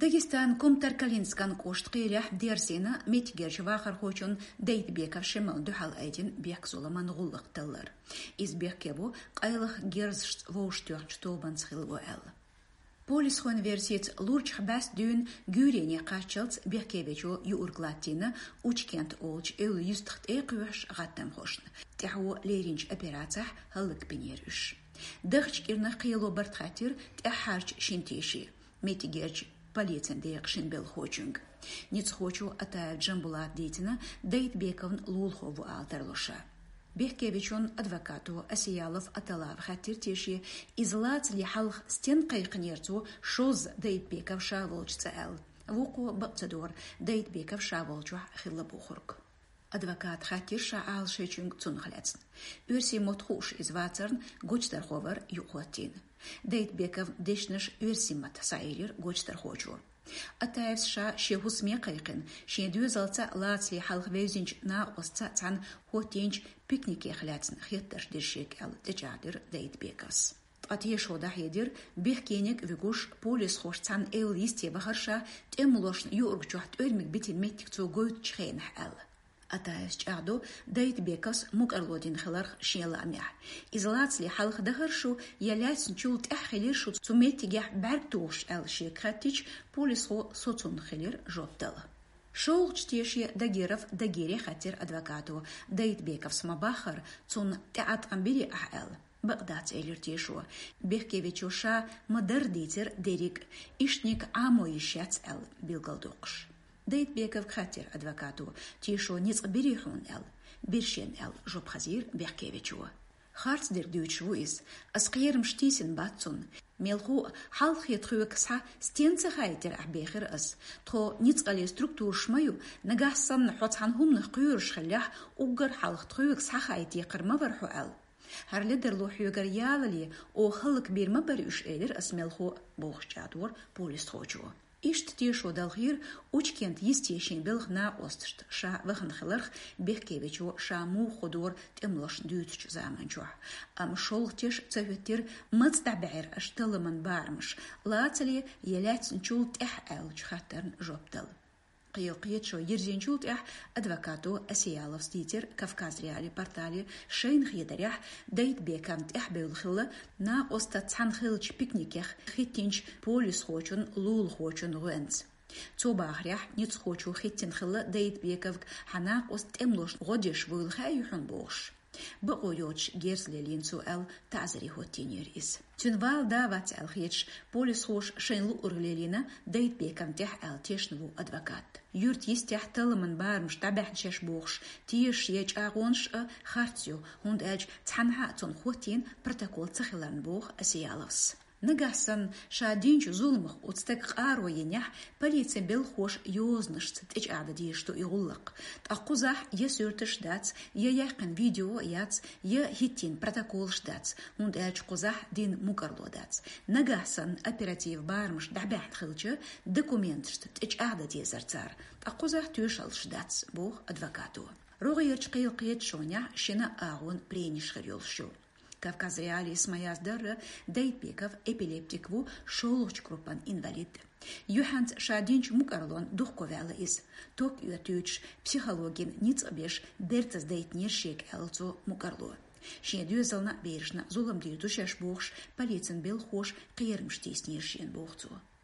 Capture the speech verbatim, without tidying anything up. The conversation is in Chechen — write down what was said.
Дагестан Кумтар-Калинскан кӀоштан кхелехь дерзийна меттигерчу вахархочун Дайтбеков Шемална дуьхьал айдина бехк-зуламан гӀуллакх таллар. Иза бехке бу къайлаха герзашца вовшахтоьхначу тобанца хилла ву аьлла. Полисхойн версица, лурчах бӀаьста дуьйна гуьйрене кхаччалц бехкевечо юург латтийна Учкент олучу эвла юьстах тӀе а кхоьхьуш гӀаттамхошна. ТӀаьхьо леринчу операцехь хӀаллакбинера уьш. Дахча кӀирнах кхело барт хаттира тӀаьххьарчу шина тешин меттигерчу полицин декъан шина белхахочуьнга. Ницкъахочо Атаев Джамбулата дийцина, Дайтбековн лулахо ву ала тарло ша. Бехкевечун адвокато Асиялов Аталава хаьттира теше, иза лацале хьалха стенна кхайкхинера цо шозза Дайтбеков ша волчу цӀа аьлла. Вукхо бакъ ца дора Дайтбеков ша волчохь хилла бохург. Адвоката хаьттира ша Ӏалашъечуьнга цунах лаьцна. Оьрсийн мотт хууш иза вацарна, гочдархо вара юкъахӀоттийна. Дайтбековн дешнаш оьрсийн маттахь схьаэлира гочдархочо. Атаевс ша шен хӀусаме кхайкхина, шен доьзалца а, лацале хьалха вевзинчу накъостца а цхьаьна хӀоттийначу пикникех лаьцна хеттарш дира шега аьлла, тӀечӀагӀдира Дайтбековс. Ткъа тешо дӀахьедира, бехкениг а вуьгуш, полисхоша цхьаьна эвла йисте вахара ша, тӀемалошна юург чохь тӀоьрмиг битина меттиг цо гойтучу хенахь аьлла. Атаевс чӀагӀдо Дайтбековс мукӀарло дина хиларх шен лаамехь. Иза лацале хьалха дахара шу я лаьцначул тӀаьхьа хилира шу цу меттигехь бӀаьрг тухуш аьлла шега хаьттича, полисхо соцунна хилира жоп дала. ШолгӀачу теше Дагиров Дагире хаьттира адвокато, Дайтбековс ма-баххара, цунна тӀеӀаткъам бирий ахь аьлла. Бакъ дац, элира тешо. Бехкевечо ша ма-дарра дийцира дерриг а, иштаниг Ӏамо йиш яц аьлла билгалдоккхуш. Дайтбековга хаьттира адвокато, тешо ницкъ бирий хьуна аьлла. Бира шена аьлла жоп хазийра бехкевечо. Харц дерг дуьйцуш ву иза. Ас кхерамаш тийсина бац цунна. Мелхо а, хьалххе тхоьга схьа стенна ца хаийтира ахь бехира ас. Тхо ницкъаллин структураш ма ю, нагахь санна хьо цхьана хӀуманах кхоьруш хиллехь, уггар хьалха тхоьга схьахаийта декхар ма вара хьо аьлла. ХӀара ледарло хьоьгара ялале, оха хӀаллакбийр ма бара уьш, элира ас мелхо а, бохуш чӀагӀдора полисхочо. Иштта тешо далхийра Учкент йисте шен белхан накъосташна ша вахана хиларх, бехкевечо ша муха хӀу дора тӀемалошна дуьйцучу заман чохь. Амма шолгӀа теш ца хӀоьттира, маца дӀабаьхьира аша талламан барамаш, лацале я лаьцначул тӀаьхьа аьллачу хаттарна жоп дала. Кхел кхеташо йирзинчул тӀаьхьа адвокато Асияловс дийцира Кавказ.Реалии портале, шайна хетарехь, Дайтбековна тӀаьхьабевлла хилла накъостаца цхьаьна хиллачу пикникех хӀиттинчу полисхочун лулахочун гӀоьнца. Цо бахарехь, ницкъахочо хӀиттина хилла Дайтбековга хьан накъост тӀемалошна гӀо деш вуйла хаьий хьуна бохуш. Бакъо йоцуш герз лелийна цо аьлла, таӀзаре хӀоттийнера иза. Цуьнан вала да-вац аьлла хеташ, полисхоша шайна луург лелийна Дайтбековна тӀехь аьлла тешна ву адвокат. Юьрта йистехь талламан барамаш дӀабаьхьна шаьш бохуш тешаш я чӀагӀонаш а харц ю, хӀунда аьлча цхьанхьа а цунна хӀоттийна протокол ца хиларна, боху Асияловс. Нагахь санна ша динчу зуламах оцу стага къаро йинехь, полицин белхахоша йозанашца тӀечӀагӀдан дезаш ду и гӀуллакх. Ткъа кхузахь я суьрташ дац, я яьккхина видео яц, я хӀиттийна протоколаш дац, хӀунда аьлча кхузахь дина мукӀарло дац. Нагахь санна оперативан барамаш дӀабаьхьна хилча, документашца тӀечӀагӀдан дезара цара, ткъа кхузахь тоьшаллаш дац, боху адвокато. РогӀерчу кхел кхеташонехь шина агӀонан прениш хир йолуш ю. Кавказ.Реалиис ма-яздарра, Дайтбеков эпилептик ву, шолгӀачу группан инвалид. Юьхьанца ша динчу мукӀарлонна духковаьлла иза. Ток оьттуьйтуш, психологина ницкъ а беш, бертаза дайтинера шега аьлла цо мукӀарло. Шен доьзална а, берашна а зулам дийр ду шаьш бохуш, полицин белхахоша кхерамаш тийсинера шена, боху цо.